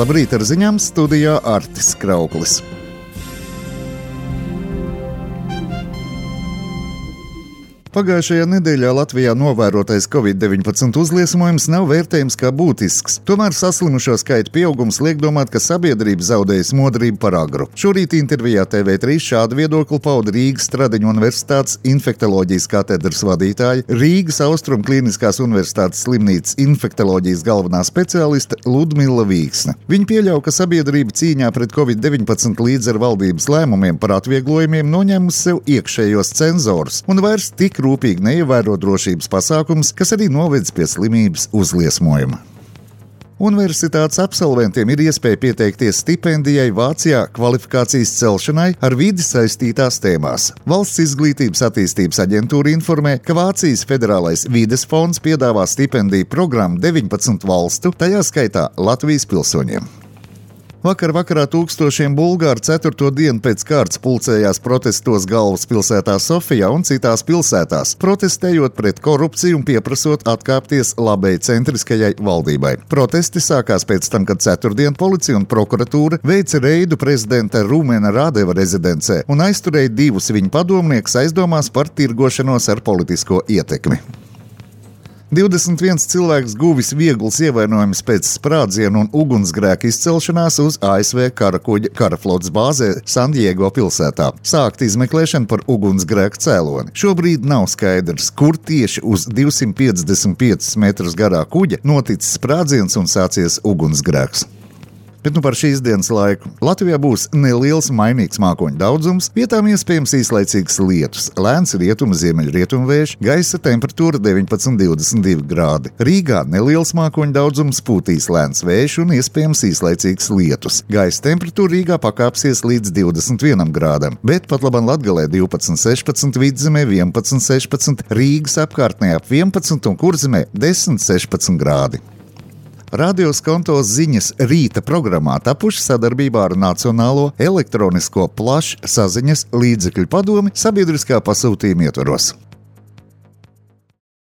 Labrīt, ar ziņām studijā Artis Krauklis. Pagājušajā nedēļā Latvijā novērotais Covid-19 uzliesmojums nav vērtējams kā būtisks. Tomēr saslimušo skaita pieaugums liek domāt, ka sabiedrība zaudējusi modrību par agru. Šorīt intervijā TV3 šādu viedokli pauda Rīgas Stradiņu Universitātes infektoloģijas katedras vadītāja, Rīgas Austrumu Kliniskās Universitātes slimnīcas infektoloģijas galvenā speciāliste Ludmila Vīksne. Viņa pieļauj, ka sabiedrība cīņā pret Covid-19 līdz ar valdības lēmumiem par atvieglojumiem noņēmusi sev iekšējos cenzorus un vairs tik rūpīgi neievēro drošības pasākums, kas arī novedis pie slimības uzliesmojuma. Universitātes absolventiem ir iespēja pieteikties stipendijai Vācijā kvalifikācijas celšanai ar vidi saistītās tēmās. Valsts izglītības attīstības aģentūra informē, ka Vācijas federālais vides fonds piedāvā stipendiju programmu 19 valstu, tajā skaitā Latvijas pilsoņiem. Vakarā tūkstošiem bulgāru 4. dienu pēc kārtas pulcējās protestos galvaspilsētā Sofijā un citās pilsētās, protestējot pret korupciju un pieprasot atkāpties labējcentriskajai valdībai. Protesti sākās pēc tam, kad ceturtdien policija un prokuratūra veica reidu prezidenta Rumena Radeva rezidencē un aizturēja 2 viņa padomniekus aizdomās par tirgošanos ar politisko ietekmi. 21 cilvēks guvis viegls ievainojums pēc sprādzienu un ugunsgrēka izcelšanās uz ASV karakuģa karaflotes bāzē Sandiego pilsētā. Sākta izmeklēšana par ugunsgrēka cēloni. Šobrīd nav skaidrs, kur tieši uz 255 metrus garā kuģa noticis sprādziens un sācies ugunsgrēks. Bet par šīs dienas laiku. Latvijā būs neliels mainīgs mākoņu daudzums, vietām iespējams īslaicīgs lietus, lēns rietumu-ziemeļrietumu vējš, gaisa temperatūra 19–22 grādi. Rīgā neliels mākoņu daudzums, pūtīs lēns vējš un iespējams īslaicīgs lietus. Gaisa temperatūra Rīgā pakāpsies līdz 21 grādam, bet pat labam Latgalē 12–16, Vidzemē 11–16, Rīgas apkārtnē ap 11 un Kurzemē 10–16 grādi. Radio Skonto ziņas rīta programmā tapuši sadarbībā ar Nacionālo elektronisko plašsaziņas līdzekļu padomi sabiedriskā pasūtījuma ietvaros.